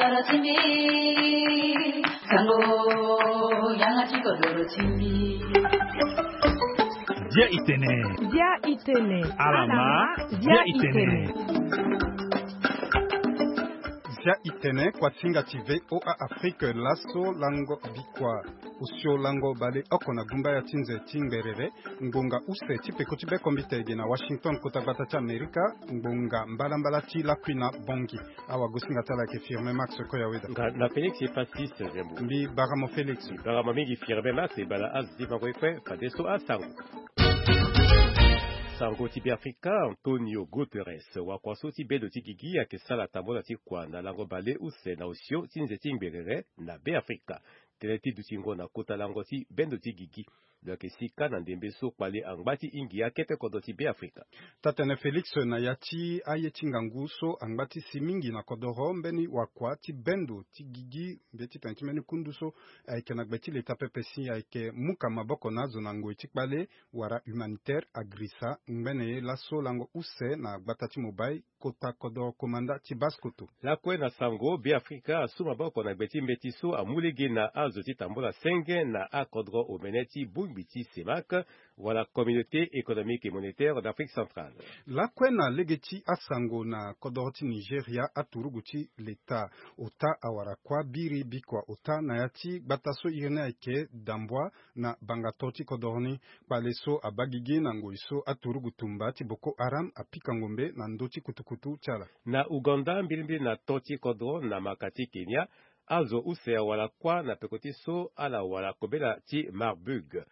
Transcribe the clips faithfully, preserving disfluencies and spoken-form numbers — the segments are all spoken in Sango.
Dia itene. Dia itene. Alama. Dia itene. Dia itene. Kuasinga ti VOA Afrique laso lango bikua. Osio lango baleoko na gumba ya ti nze ti ngberere. Ngbonga use ti peko ti bekombite ege na Washington, kota gbata ti Amerika. Ngbonga mbalambala ti lakui na bongi. Awagosinga ti ala ayeke Firme Max Koyaweda. Nga na Félix Epasis Zembo. Mbi baramo Félix. Mbi baramo mingi Firme Max e bala azo ti fango ye kue fadeso asango. Sango ti Beafrika, Antonio Guterres wakua so ti bendo ti gigi ayeke sara tambula ti kua na lango baleuse na osio ti nze ti ngberere na Beafrika. Tënë ti dutingo na kota lango ti bendo ti gigi. Lo yeke si kâ na ndembe so kpale angba ti hingi akete kodro ti Beafrika. Taa-tene Félix, na ya ti aye ti ngangu so angba ti si mingi na kodoro mbeni wakua ti bendo ti gigi mbeti tene ti mbeni kundu so ayeke na gbe ti leta pepe si ayeke muka maboko na azo na ngoi ti kpale wala humanitaire agrisa ngbene ye laso lango use na gbata ti Mobai, kota kodoro komanda ti Basse-Kotto. Lakue na sango, Beafrika asu maboko na gbe ti mbeti so amu lege na azo ti tambula senge na akodro omene ti bongbi ti CEMAC, wala Communauté économique et monétaire d'Afrique centrale. Lakue na lege ti asango, na kodoro ti Nigeria, aturugu ti leta ota awara kuâ biri bikua ota na ya ti gbata so iri ni ayeke Dambwa na bangato ti kodoro ni. Kpale so abaa gigi na ngoi so aturugu tumba ti Boko Haram apika ngombe na ndö ti kutukutu ti ala. Na Ouganda, mbilimbili na to ti kodro na maka ti Kenya, azo use awara kuâ na peko ti so ala wara kobela ti Marburg.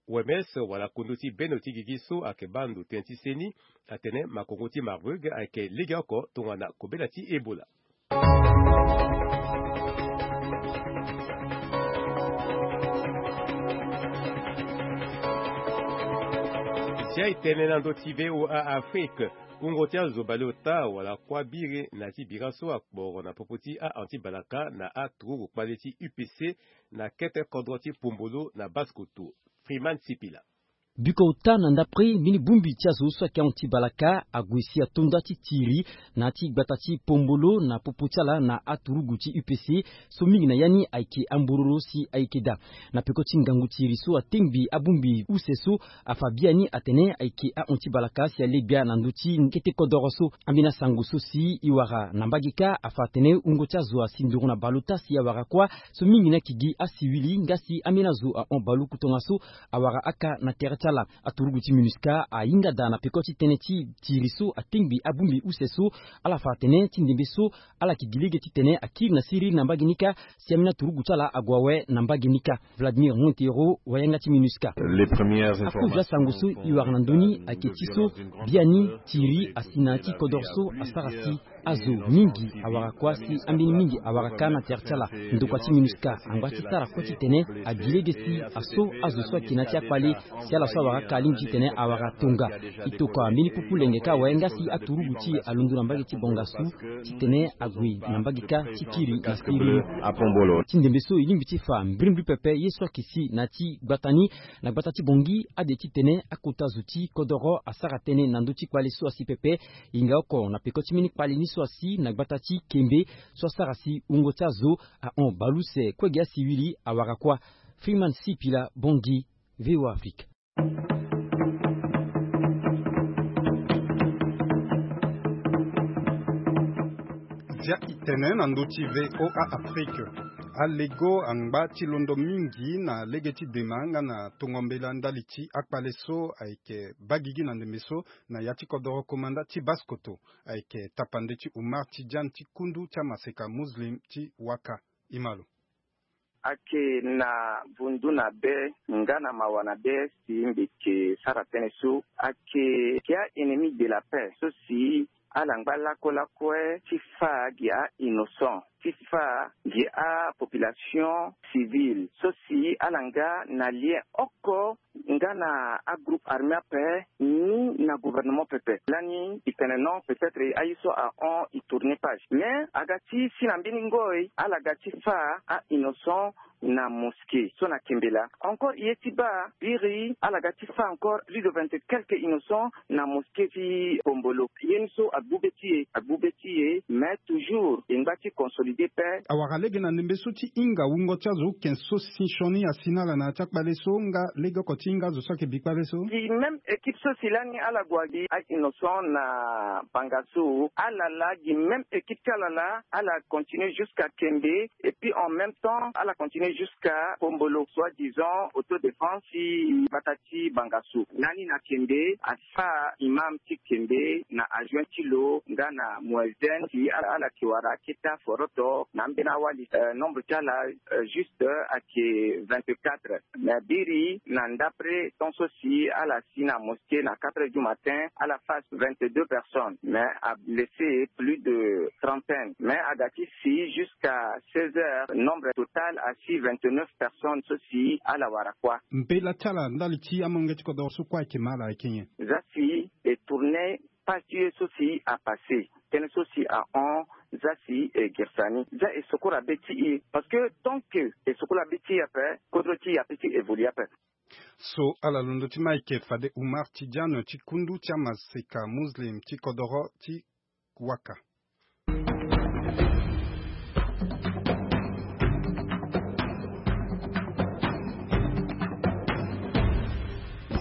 O M S wala kundu ti bendo ti gigi so ayeke baa ndo tënë ti seni atene makongo ti Marburg ayeke legeoko tongana kobela ti Ebola. Sia e tene na ndö ti VOA Afrique, wungo ti azo baleota wala kuâ biri na ti bira so akporo na popo ti a-anti-balaka na aturugu kpale ti U P C na kete kodro ti Pombolo na Basse-Kotto. Freeman Sipila. Biko ota na ndapre mbeni bongbi ti azo so ayeke ahon ti balaka ague si ato nda ti tiri na ya ti gbata ti Pombolo na popo ti ala na aturugu ti U P C so mingi na ya ni ayeke ambororo si ayeke daa. Na peko ti ngangu tiri so atengbi abongbi use so afa biani atene ayeke ahon ti balaka si alegbia na ndö ti kete kodoro so. Ambeni asango so si e wara na mbage kâ afa atene wungo ti azo asi nduru na baleota si awara kuâ so mingi ni ayeke gi asiwili nga si ambeni azo ahon baluku tongaso awara aka na tere ti ala. Aturugu ti MINUSCA ahinga daa na peko ti tënë ti tiri so atengbi abongbi use so. Ala fa atene ti ndembe so ala yeke gi lege titene akiri na siriri na mbage ni kâ si ambeni aturugu ti ala ague awe na mbage ni kâ. Vladimir Montero, wayanga ti MINUSCA. Akozo asango so e wara na ndö ni ayeke ti so biani tiri asi na ya ti kodoro so asara si azo mingi awara kuâ si ambeni mingi awara kâ na tere ti ala. Ndokua ti MINUSCA angba ti sara kue titene agi lege si aso azo so ayeke na ya ti akpale si ala so awara aka alingbi titene awara tonga. E tokua mbeni pupu lenge kâ awe nga si aturugu ti e alondo na mbage ti bongasu titene ague na mbage kâ ti kiri na siriri. Ti ndembe so e lingbi ti fa mbirimbiri pepe ye so ayeke si na ya ti gbata ni. Na gbata ti Bangui, ade titene akota zo ti kodoro asara tënë na ndö ti kpale so asi pepe. E hinga oko na peko ti mbeni kpale ni so asi na gbata ti Kembe so asara si wungo ti azo ahon baleuse kue ge asiwili awara kuâ. Freeman Sipila, Bangui, VOA Afrique. Dia itene na ndö ti VOA Afrique. Alego angba ti londo mingi na lege ti dema nga na tongo mbela ndali ti akpale so ayeke baa gigi na ndembe so na ya ti kodoro komanda ti Basse-Kotto. Ayeke tapande ti Oumar Tidiane ti kundu ti amaseka Muslim ti Ouaka. E ma lo. Ayeke na vundu na be nga na mawa na be si mbi yeke sara tënë so. Ayeke, ayeke a-ennemi de la paix so si ala ngba lakue lakue ti fâ gi a-innocent, ti fâ gi apopulation civile so si ala nga na lien oko nga na agroupe armé ape ni na gouvernement pepe. Lani e tene non, peut-être aye so ahon e tourner page, mais aga ti si na mbeni ngoi ala ga ti fâ a-innocent na mosquée so na Kembela. Encore e ye ti baa biri ala ga ti fâ encore plus de vingt et quelques innocents na mosquée ti Pombolo. Ye ni so agbu be ti e, agbu be ti e, mais toujours e ngba ti consolider pe. Awara lege na ndembe so ti hinga wungo ti azo ken so si sioni asi na ala na ya ti akpale so nga lege oko ti hinga azo so ayeke bi kpale so. Gi même équipe so si lani ala gue gi a-innocent na Bangassou, ala laa gi même équipe ti ala laa ala continue jusqu'à Kembe. Et puis en même temps ala continue jusqu'à Pombolo, soi-disant autodéfense ti gbata ti Bangassou. Lani na Kembe, afâ imam ti Kembe na adjoint ti lo nga na muezzin si ala, ala yeke wara akete aforoto na ambeni awali. Euh, nombre ti ala, euh, juste, euh, ayeke vingt-quatre. Mais biri na ndapre temps so si ala si na mosquée na quatre heures du matin, ala fâ vingt-deux personnes, mais ablessé plus de trentaine. Mais aga ti si jusqu'à seize heures, nombre total asi vingt-neuf personnes so si ala wara kuâ. Mbela ti ala ndali ti amolenge ti kodoro so kuâ ayeke ma ala ayeke nyen? Za si e tourner page ti e so si apassé, tënë so si ahon, za si e girisa ni, za e sokora be ti e, parce que tant que e sokora be ti e ape, kodro ti e apeut ti évoluer ape. So ala londo ti ma ayeke fade Oumar Tidiane ti kundu ti amaseka muslim ti kodoro ti Waka.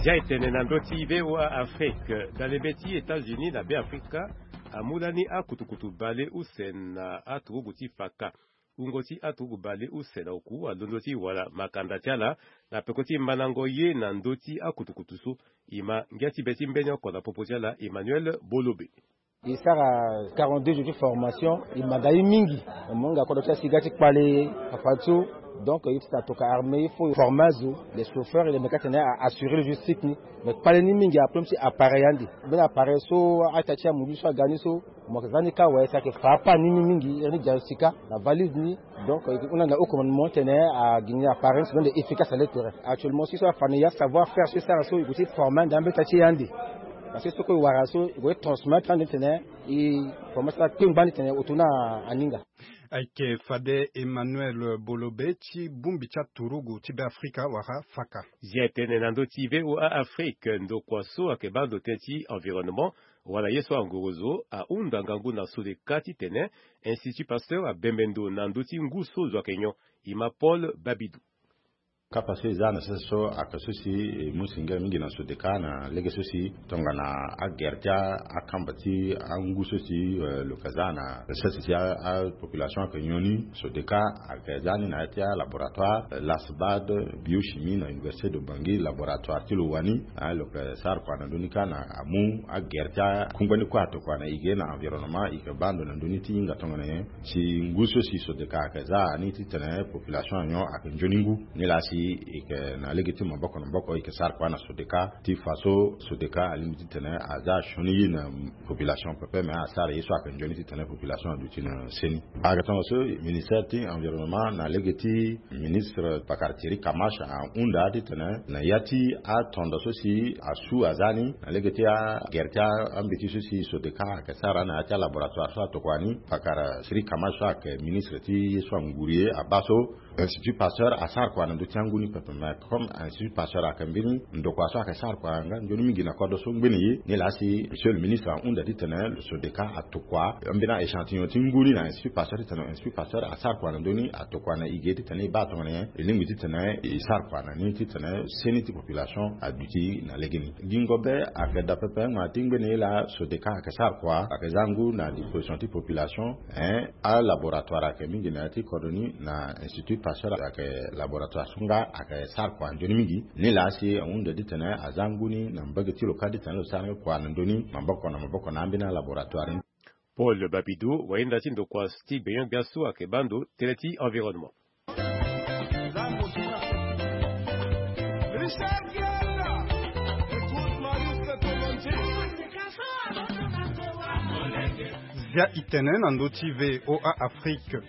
Zia e tene na ndö ti V O A Afrique, dalembe ti États-Unis na Beafrika amu lani akutukutu bale use na aturugu ti Faka. Wungo ti aturugu bale use na oku alondo ti wara makanda ti ala na peko ti mandango ye na ndö ti akutukutu so. E ma ngia ti be ti mbeni oko na popo ti ala Emmanuel Bolobe. E sara quarante-deux jours ti formation, e manda ye mingi. Mo hinga kodro ti asiga ti kpale afa ti so. Donc ye ti tene atoka armée, il faut former azo, les chauffeurs, les mécanos, atene a assurer logistique ni. Mais kpale ni mingi, aproblème ti appareil ande. Mbeni appareil so ata ti amudu so aga ni so, mo yeke za ni kâ awe, si ayeke fa apanne ni mingi, iri ni dia sika na valise ni. Donc e hunda na haut commandement ti tene agi ni appareil ni si lo rendre efficace à l'intérieur. Actuellement si so afa na ya savoir faire so e sara so, e gue ti former ande ambeta ti e ande. Parce que so kue e wara so e gue ti transmettre ande ti tene e former so akpe ngbani ti tene e to ni aninga. Ayeke fade Emmanuel Bolobe ti bongbi ti aturugu ti Beafrika wala Faka. Zia e tene na ndö ti V O A Afrique, ndokua so ayeke baa ndo tënë ti environnement wala ye so angorozo ahunda ngangu na Sodeka titene Institut Pasteur abembe ndo na ndö ti ngu so zo ayeke nyon. E ma Paul Babidou. Kapa so e za na sese so ayeke so si e mu singila mingi na Sodeka na lege so si tongana agere ti akamba ti angu so si, eh, lo yeke za na sese si a, apopulation ayeke nyon ni. Sodeka ayeke za ni na ya ti alaboratoire, eh, LASBAD, biochimie na Université de Bangui, laboratoire ti lo wani. Ah, lo yeke sara kua na ndö ni kâ na amu agere ti akungba ni kue atokua na e ge na environnement, e yeke baa ndo na ndö ni ti hinga tongana nyen. Si ngu so si Sodeka ayeke za ni titene population anyon ayeke nzoni ngu. Nilaa si e yeke na lege ti maboko na maboko, e yeke sara kua na Sodeka ti fa so Sodeka alingbi titene aza sioni ye na population pepe, me asara ye so ayeke nzoni titene population aduti na seni. Ayeke tongaso ministère ti environnement na lege ti ministre pakara Thierry Kamache ahunda titene na ya ti atondo so si asu aza ni na lege ti agere ti ambeti so si Sodeka ayeke sara na ya ti alaboratoire so atokua ni, pakara Thierry Kamache so ayeke ministre ti ye so anguru ye abaa so Institut Pasteur asara kua na ndö ti angu ni pepe, mais comme Institut Pasteur ayeke mbeni ndokua so ayeke sara kua nga nzoni mingi na kodro so ngbene ye. Nilaa si monsieur le ministre ahunda titene Sodeka atokua mbeni a-échantillon ti ngu ni na Institut Pasteur titene Institut Pasteur asara kua na ndö ni, atokua na e ge titene e baa tongana nyen e lingbi titene e sara kua na ni titene seni ti population aduti na legeni. Gingo be ayeke daa pepe, ngbanga ti ngbene ye laa Sodeka ayeke sara kua, ayeke za ngu na disposition ti population. Hein, alaboratoire ayeke mingi na ya ti kodro ni na Institut Pasteur ayeke laboratoire so nga ayeke sara kua nzoni mingi. Nilaa si ahunda titene aza ngu ni na mbage ti lo kâ titene lo sara ni kua na ndö ni maboko na maboko na ambeni alaboratoire ni. Paul Babidou, wayenda ti ndokua ti gbenyo-gbia so ayeke baa ndo tënë ti environnement. Zia e tene na ndö ti V O A Afrique.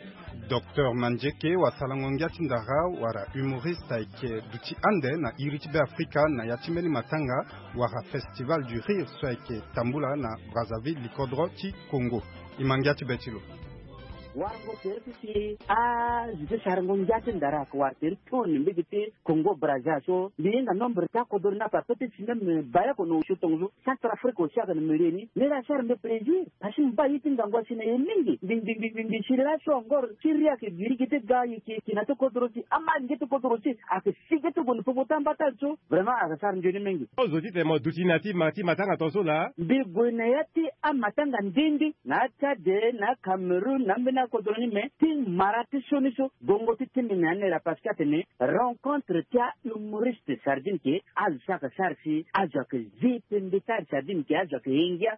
Docteur Mandieke, wasarango ngia ti ndara wala humoriste, ayeke duti ande na iri ti Beafrika na ya ti mbeni matanga wala Festival du Rire so ayeke tambula na Brazzaville, likodro ti Congo. E ma ngia ti be ti lo. Warango tere ti si azo ti sarango ngia ti ndara ayeke wara tere toni mbege ti Congo Brazza so mbi hinga nombre ti akodoro ni ape ape ti si même baleoko na osio tongo so. Centrafrique aussi ayeke na mbi lie ni. Ni la asara mbi plaisir. Parce que mbi baa ye ti ngangu asi na e mingi. Mbi mbi mbi mbi mbi si laso encore ti ri ayeke girigi ti ga ye ke ke na ti kodoro si ama nge ti kodoro si ayeke si ge ti gue na popo ti ambata so. Vraiment ayeke sara nzoni mingi. Ozo titene mo duti na ti ma ti matanga tongaso laa. Mbi gue na ya ti amatanga ndindi na atchad, na acameroun, na ambeni akodoro ni me ti mara ti sioni so. Gongo ti timi na ya ni laa parce que atene rencontre ti ahumoriste sardine ke azo so ayeke sara si azo ayeke zi pembe ti ari sardine ke azo ayeke ye ngia.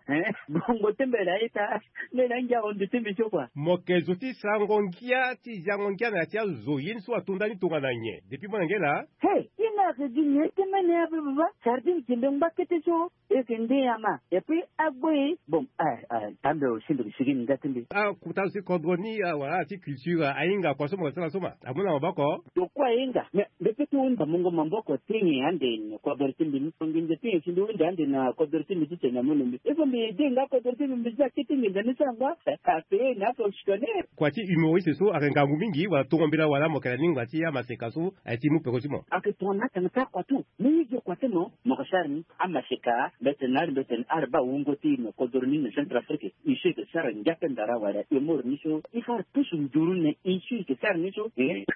Bongo ti mbela aita. Mbela angia ahundu ti mbi so kua. Mo yeke zo ti sarango ngia ti ziango ngia na ya ti azo ye ni so ato ndani tongana nyen depuis molenge laa? He, ye ni ayeke gi nyen ti mene ape baba? Sardine ke mbe ngba kete so. E yeke nde ama. Et puis agbo e bon. Tambe osimbi ke sigi ni nda ti mbi. Akuta zo ti kodro ni wala ala ti culture ahinga kua so mo yeke sara so ma amu na maboko. Tokua ahinga mais mbi pe ti hunda mungo maboko ti nyen ande na kodro ti mbi ni so nginza ti nyen si mbi hunda ande na kodro ti mbi titene amu na mbi. Il faut mbi aide nga kodro ti mbi mbi za kete nginza ni so angba. Ape na ape ositone. Kua ti humoriste so ayeke ngangu mingi wala tongo mbela wala mo yeke na lingba ti amaseka so aye ti mu peko ti mo? Ayeke tongana atanga ti akua tu. Ni ye ge kua ti mo mo yeke sara ni. Amaseka mbetene na ari mbetene ari baa wungo ti e na kodoro ni na Centrafrique. E so e yeke sara ngia pe ndara wala e moro ni so e fa ari pusu nduru na e so e yeke sara ni so.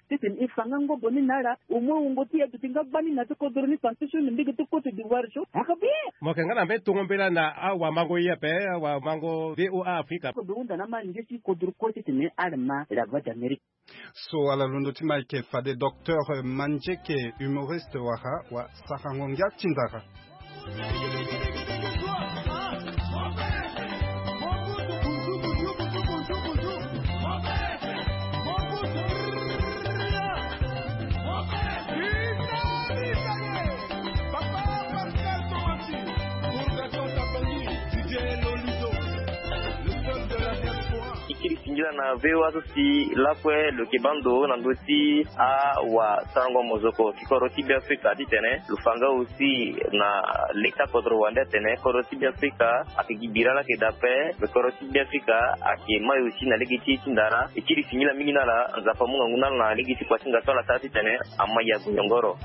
Titene e fa nga ngobo ni na ala. Au moins wungo ti e aduti nga gba ni na ti kodoro ni tantu so na mbege ti Côte d'Ivoire so ayeke bien. Mo yeke nga na mbeni tongo mbela na awamango ye ape awamango V O A Afrika. Kodoro hunda na ama nge ti kodoro kue titene ala ma la voix d'Amérique. So ala londo ti ma ayeke fade docteur Mandieke, humoriste wala wasarango ngia ti ndara. Singila na V O A so si lakue lo yeke baa ndo na ndö ti awasarango mozoko ti kodro ti Beafrika titene lo fa nga aussi na leta kodro wande atene kodro ti Beafrika ayeke gi bira laa ayeke daa ape. Me kodro ti Beafrika ayeke mai aussi na lege ti e ti ndara. E kiri singila mingi na ala. Nzapa amu ngangu na ala na lege ti kuasinga so ala sara titene ama ya gue nyongoro.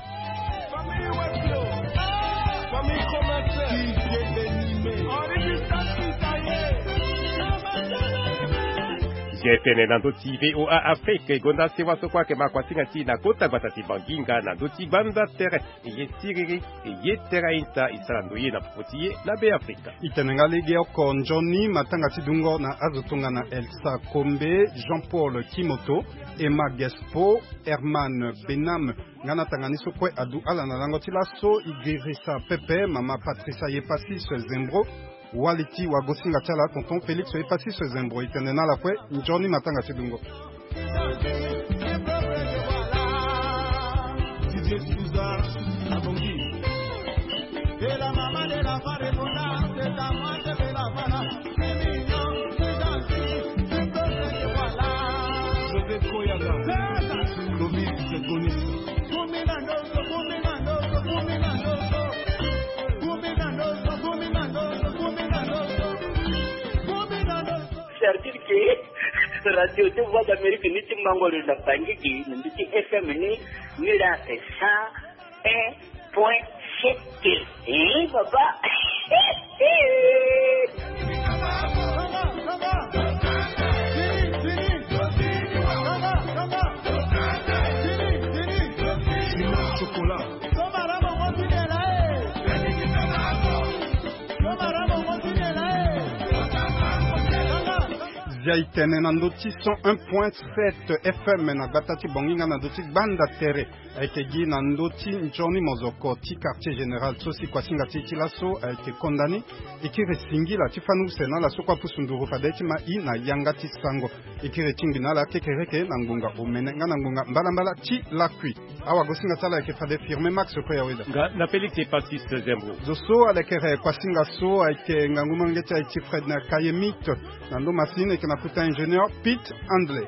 Ge tene na ndö ti V O A Afrique e gonda sewa so kue ayeke ma kuasinga ti e na kota gbata ti Bangi nga na ndö ti gbanda tere. E ye siriri e ye tere aita e sara ndoye na popo ti e na Beafrika. E tene nga lege oko nzoni matanga ti dungo na azo tongana Elsa Kombe, Jean Paul Kimoto, Emma Gespo, Herman Benam. Nga na tanga ni so kue adu ala na lango ti laso e girisa pepe mama Patricia Yepasis Zembro. Wali ti wagosinga ti ala tonton Félix Yepasis Zembro e tene na ala kue nzoni matanga ti dungo. Sardine ke radio ti Voix d'Amérique ni ti mango lo na Bangui gi na ndö ti F M ni. Ni la ake cent un point sept. Eh papa. Chocolat. Zia e tene na ndö ti cent un point sept F M na gbata ti Bangui nga na ndö ti gbanda tere. Ayeke gi na ndö ti nzoni mozoko ti quartier général so si kuasinga ti e ti laso ayeke konda ni. E kiri singila ti fani use na ala so kue apusu nduru fade ti ma e na yanga ti sango. E kiri tingbi na ala kekereke na ngbonga omene nga na ngbonga mbalambala ti lakui. Awagosinga ti ala ayeke fade Firme Max kue ya weda. Nga na Félix Yepasis Zembro. Zo so alekere kuasinga so ayeke ngangu molenge ti aye ti Fred na Kayemite. Na ndo masini e yeke na kota ingénieur Pete Handley.